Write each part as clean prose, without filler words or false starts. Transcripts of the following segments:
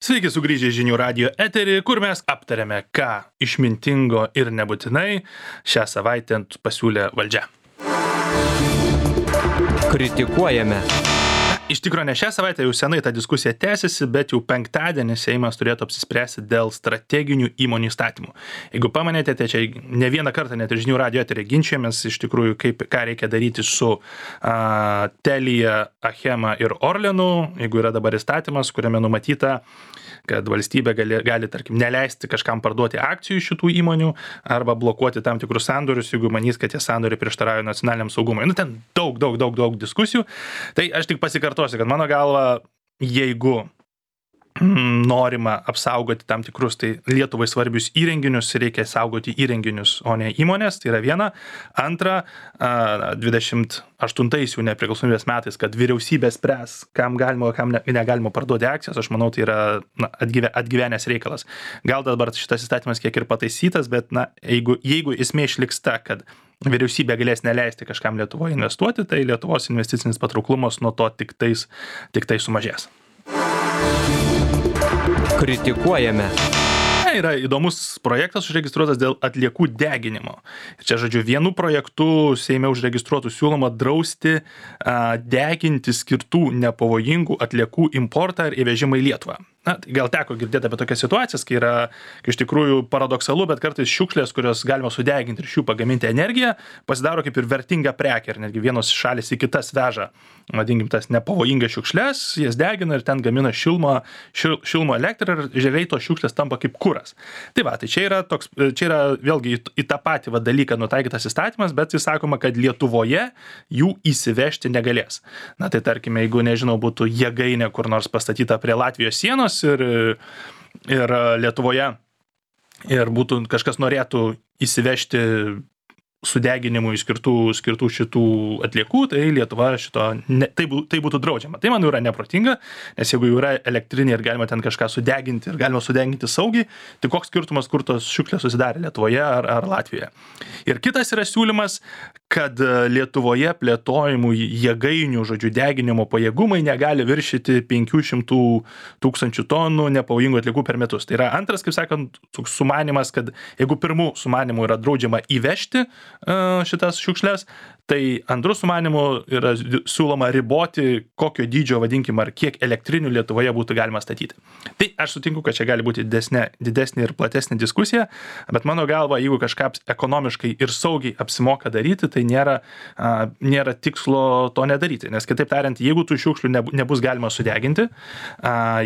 Sveiki sugrįžę į Žinių radijo eterį, kur mes aptariame, ką išmintingo ir nebūtinai šią savaitę pasiūlė valdžia. Kritikuojame. Iš tikrųjų, ne šią savaitę, jau senai ta diskusija tęsiasi, bet jau penktadienį Seimas turėtų apsispręsti dėl strateginių įmonių įstatymų. Jeigu pamanėte, tai čia ne vieną kartą net ir Žinių radijo eterį ginčiamės iš tikrųjų, ką reikia daryti su Telia, Achema ir Orlenu, jeigu yra dabar įstatymas, kuriame numatyta, kad valstybė gali tarkim, neleisti kažkam parduoti akcijų šitų įmonių arba blokuoti tam tikrus sandorius, jeigu manys, kad tie sandoriai prieštarauja nacionaliniam saugumui. Ten daug diskusijų. Tai aš tik pasikartosiu, kad mano galva, jeigu norima apsaugoti tam tikrus tai Lietuvai svarbius įrenginius, reikia saugoti įrenginius, o ne įmonės, tai yra viena. Antra, 28 jau nepriklausomybės metais, kad vyriausybė spręs, kam galima, kam negalima parduoti akcijas, aš manau, tai yra atgyvenęs reikalas. Gal dabar šitas įstatymas kiek ir pataisytas, bet jeigu esmė išliks ta, kad vyriausybė galės neleisti kažkam Lietuvoje investuoti, tai Lietuvos investicinis patrauklumas nuo to tik tai sumažės. Kritikuojame. Yra įdomus projektas užregistruotas dėl atliekų deginimo. Čia, žodžiu, vienu projektu Seime užregistruotų siūloma drausti deginti skirtų nepavojingų atliekų importą ir įvežimą į Lietuvą. Gal teko girdėti apie tokias situacijas, kai yra iš tikrųjų paradoksalu, bet kartais šiukšlės, kurios galima sudeginti ir iš jų pagaminti energiją, pasidaro kaip ir vertinga prekė. Ir netgi vienos šalys į kitas veža, vadinkim, tas nepavojingas šiukšlės, jas degina ir ten gamina šilmo elektrą ir žaliai tos šiukšlės tampa kaip kuras. Tai čia yra vėlgi į tą patį dalyką nutaikytas įstatymas, bet jis sakoma, kad Lietuvoje jų įsivežti negalės. Tai tarkime, jeigu, nežinau, būtų jėgainė kur nors pastatyta prie Latvijos sienos, ir Lietuvoje ir būtų kažkas norėtų įsivežti sudeginimui skirtų šitų atliekų, tai Lietuva tai būtų draudžiama. Tai man yra neprotinga, nes jeigu jau yra elektrinė ir galima ten kažką sudeginti ir galima sudeginti saugiai, tai koks skirtumas, kur tos šiukšlės susidarė Lietuvoje ar Latvijoje. Ir kitas yra siūlymas, kad Lietuvoje plėtojimų jėgainių, žodžiu, deginimo pajėgumai negali viršyti 500 tūkstančių tonų nepavojingų atliekų per metus. Tai yra antras, kaip sakant, sumanymas, kad jeigu pirmų sumanimų yra draudžiama įvežti šitas šiukšlės, tai antrų sumanimų yra siūloma riboti, kokio dydžio, vadinkim, ar kiek elektrinių Lietuvoje būtų galima statyti. Tai aš sutinku, kad čia gali būti didesnė ir platesnė diskusija, bet mano galva, jeigu kažką ekonomiškai ir saugiai apsimoka daryti, tai nėra tikslo to nedaryti. Nes kitaip tariant, jeigu tų šiukšlių nebus galima sudeginti,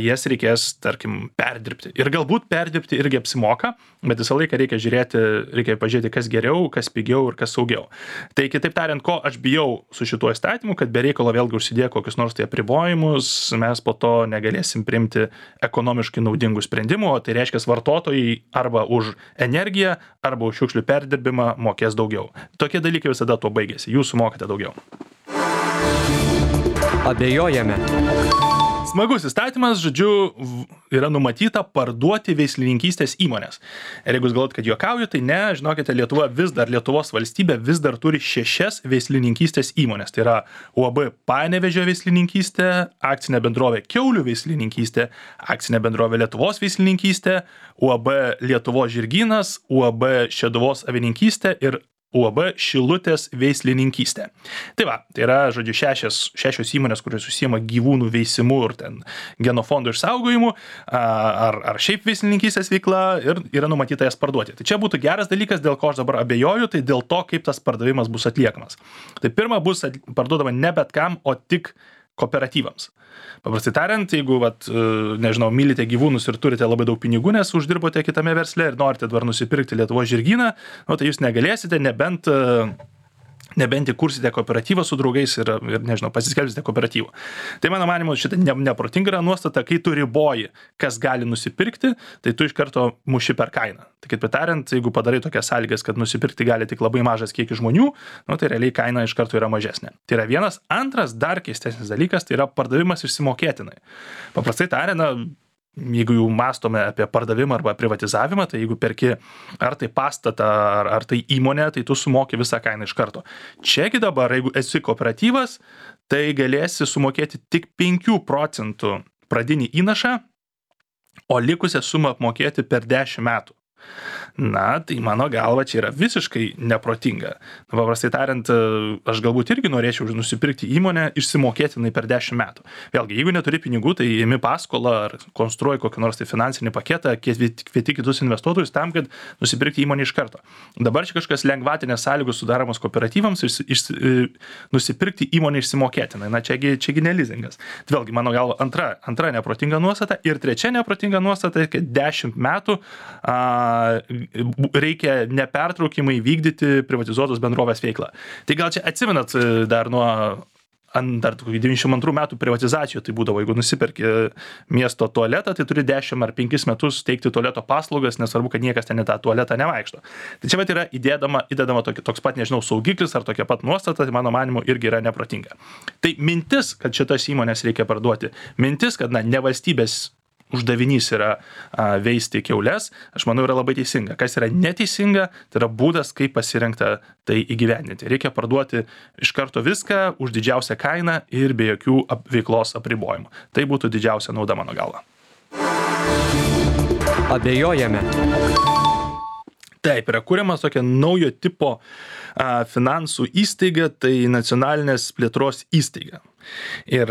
jas reikės, tarkim, perdirbti. Ir galbūt perdirbti irgi apsimoka, bet visą laiką reikia pažiūrėti, kas geriau, kas pigiau ir kas saugiau. Tai kitaip tariant, ko aš bijau su šituo įstatymu, kad be reikalo vėlgi užsidėję kokius nors tai apribojimus, mes po to negalėsim priimti ekonomiškai naudingų sprendimų, o tai reiškia, vartotojai arba už energiją, arba už šiukšlių perdirbimą mokės daugiau. Tokie dalykai visada tuo baigėsi. Jūs sumokate daugiau. Abejojame. Smagus įstatymas, žodžiu, yra numatyta parduoti veislininkystės įmonės. Ir jeigu jūs galvojat, kad juokauju, tai ne, žinokite, Lietuvos valstybė vis dar turi 6 veislininkystės įmonės. Tai yra UAB Panevėžio veislininkystė, akcinė bendrovė Kiaulių veislininkystė, akcinė bendrovė Lietuvos veislininkystė, UAB Lietuvos žirgynas, UAB Šeduvos avininkystė ir UAB Šilutės veislininkystė. Tai yra, žodžiu, 6 įmonės, kurios užsiima gyvūnų veisimu ir ten genofondų išsaugojimu, ar šiaip veislininkystės veikla ir yra numatyta jas parduoti. Tai čia būtų geras dalykas, dėl ko aš dabar abejoju, tai dėl to, kaip tas pardavimas bus atliekamas. Tai pirma, bus parduodama ne bet kam, o tik kooperatyvams. Paprastai tariant, jeigu, nežinau, mylite gyvūnus ir turite labai daug pinigų, nes uždirbote kitame versle ir norite dabar nusipirkti Lietuvos žirgyną, tai jūs negalėsite, nebent įkursite kooperatyvą su draugais ir nežinau, pasiskelbsite kooperatyvą. Tai mano manimu, šitą neprotinga yra nuostata, kai tu riboji, kas gali nusipirkti, tai tu iš karto muši per kainą. Tai kaip tariant, jeigu padarai tokias sąlygas, kad nusipirkti gali tik labai mažas kiekis žmonių, tai realiai kaina iš karto yra mažesnė. Tai yra vienas. Antras, dar keistesnis dalykas, tai yra pardavimas išsimokėtinai. Paprastai tariant, jeigu jau mąstome apie pardavimą arba privatizavimą, tai jeigu perki ar tai pastatą, ar tai įmonę, tai tu sumoki visą kainą iš karto. Čiagi dabar, jeigu esi kooperatyvas, tai galėsi sumokėti tik 5% pradinį įnašą o likusią sumą apmokėti per 10 metų. Na, tai mano galva čia yra visiškai neprotinga. Paprastai tariant, aš galbūt irgi norėčiau nusipirkti įmonę išsimokėtinai per 10 metų. Vėlgi, jeigu neturi pinigų, tai imi paskolą ar konstruoji kokį nors tai finansinį paketą, kvieti kitus investuotojus tam, kad nusipirkti įmonę iš karto. Dabar čia kažkas lengvatinės sąlygos sudaromos kooperatyvams nusipirkti įmonę išsimokėtinai. Na, čiagi ne lizingas. Vėlgi, mano galva, antra neprotinga nuostata ir trečia neprotinga nuostata, kad 10 metų reikia nepertraukimai vykdyti privatizuotos bendrovės veiklą. Tai gal čia atsimenat dar nuo 92 metų privatizacijų, tai būdavo, jeigu nusipirki miesto tualetą, tai turi 10 ar 5 metus teikti tualeto paslaugas, nesvarbu, kad niekas ten į tą tualetą nevaikšto. Tai čia yra įdedama toks pat, nežinau, saugiklis ar tokia pat nuostata, tai mano manimu irgi yra neprotinga. Tai mintis, kad šitas įmonės reikia parduoti, mintis, kad ne valstybės uždavinys yra veisti kiaules, aš manau, yra labai teisinga. Kas yra neteisinga, tai yra būdas, kaip pasirinkta tai įgyvendinti. Reikia parduoti iš karto viską už didžiausią kainą ir be jokių veiklos apribojimų. Tai būtų didžiausia nauda mano galva. Abejojame. Taip, yra kuriamas tokia naujo tipo finansų įstaiga, tai nacionalinės plėtros įstaiga. Ir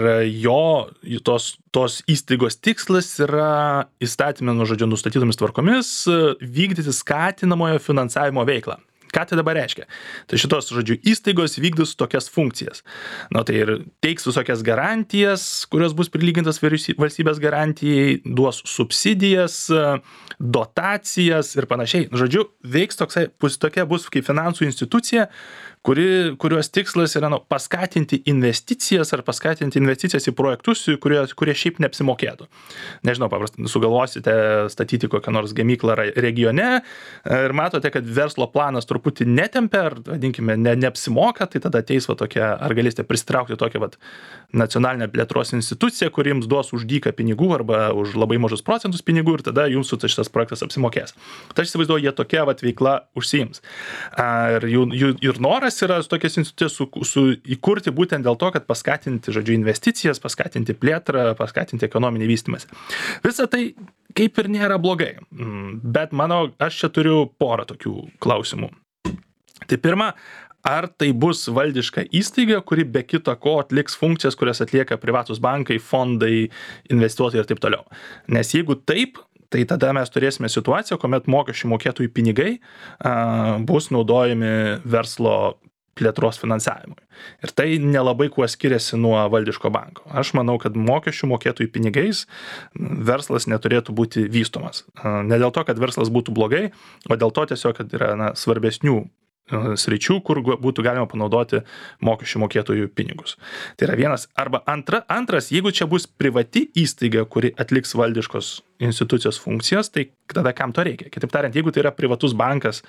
tos įstaigos tikslas yra įstatymė nustatytomis tvarkomis vykdyti skatinamojo finansavimo veiklą. Ką tai dabar reiškia? Tai šitos, įstaigos vykdys tokias funkcijas. Na, tai ir teiks visokias garantijas, kurios bus prilygintas valstybės garantijai, duos subsidijas, dotacijas ir panašiai. Veiks tokia bus kaip finansų institucija, kurios tikslas yra paskatinti investicijas ar paskatinti investicijas į projektus, kurie šiaip neapsimokėtų. Nežinau, paprastai sugalvosite statyti kokią nors gamyklą regione ir matote, kad verslo planas truputį netempia, ar, vadinkime, neapsimoka, tai tada ateis tokia, ar galėsite pristraukti tokią nacionalinę plėtros instituciją, kuri jums duos už dyką pinigų arba už labai mažus procentus pinigų ir tada jums šitas projektas apsimokės. Tai aš įsivaizduoju, jie tokia veikla užsiims. Ir noras yra tokias institucijas įkurti būtent dėl to, kad paskatinti, investicijas, paskatinti plėtrą, paskatinti ekonominį vystymąsi. Visa tai kaip ir nėra blogai, bet aš čia turiu porą tokių klausimų. Tai pirma, ar tai bus valdiška įstaiga, kuri be kita ko atliks funkcijas, kurias atlieka privatus bankai, fondai, investuotojai ir taip toliau. Nes jeigu taip, tai tada mes turėsime situaciją, kuomet mokesčių mokėtojų pinigai bus naudojami verslo plėtros finansavimui. Ir tai nelabai kuo skiriasi nuo valdiško banko. Aš manau, kad mokesčių mokėtojų pinigais verslas neturėtų būti vystomas. Ne dėl to, kad verslas būtų blogai, o dėl to tiesiog, kad yra svarbesnių sričių, kur būtų galima panaudoti mokesčių mokėtojų pinigus. Tai yra vienas. Arba antras, jeigu čia bus privati įstaiga, kuri atliks valdiškos institucijos funkcijas, tai tada kam to reikia? Kitaip tariant, jeigu tai yra privatus bankas,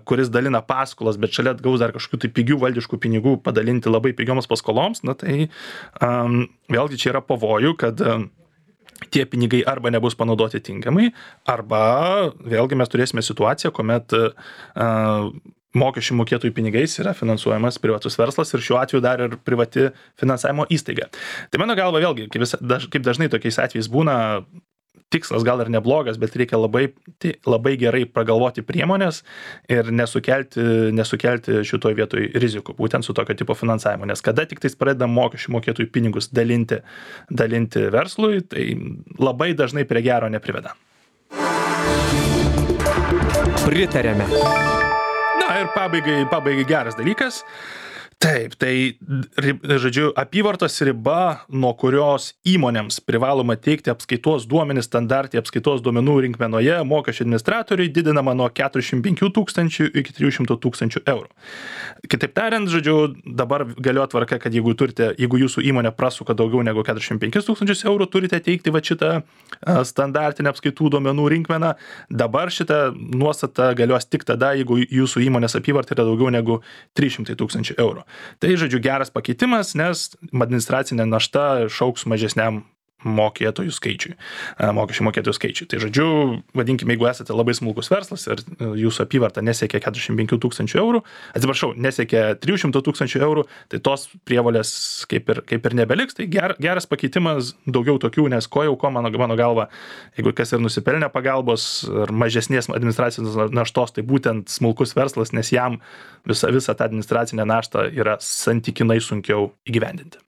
kuris dalina paskolas, bet šalia gaus dar kažkokių tai pigių valdiškų pinigų padalinti labai pigioms paskoloms, na tai vėlgi čia yra pavojų, kad tie pinigai arba nebus panaudoti tinkamai, arba vėlgi mes turėsime situaciją, kuomet mokesčių mokėtojų pinigais yra finansuojamas privatus verslas ir šiuo atveju dar ir privati finansavimo įstaiga. Tai mano galva vėlgi, kaip dažnai tokiais atvejais būna, tikslas gal ir neblogas, bet reikia labai gerai pragalvoti priemonės ir nesukelti šitoj vietoj rizikų, būtent su tokio tipo finansavimu. Nes kada tik tais pradeda mokesčių mokėtojų pinigus dalinti verslui, tai labai dažnai prie gero nepriveda. Pritarėme. Na ir pabaigai geras dalykas. Taip, tai, apyvartos riba, nuo kurios įmonėms privaloma teikti apskaitos duomenis standartai apskaitos duomenų rinkmenoje mokesčių administratoriui didinama nuo 45 000 iki 300 000 eurų. Kitaip tariant, dabar galioja tvarka, kad jeigu jūsų įmonė prasuka daugiau negu 45 000 eurų, turite teikti šitą standartinę apskaitų duomenų rinkmeną. Dabar šitą nuostatą galios tik tada, jeigu jūsų įmonės apyvarta yra daugiau negu 300 000 eurų. Tai, geras pakeitimas, nes administracinė našta šauks mažesniam mokėtojų skaičiui, mokesčių mokėtojų skaičiui. Tai žodžiu, vadinkime, jeigu esate labai smulkus verslas ir jūsų apyvarta nesiekia 45 000 eurų, atsiprašau, nesiekia 300 000 eurų, tai tos prievolės kaip ir nebeliks. Tai geras pakeitimas, daugiau tokių, nes ko mano galva, jeigu kas ir nusipelnė pagalbos ar mažesnės administracinės naštos, tai būtent smulkus verslas, nes jam visą tą administracinę naštą yra santykinai sunkiau įgyvendinti.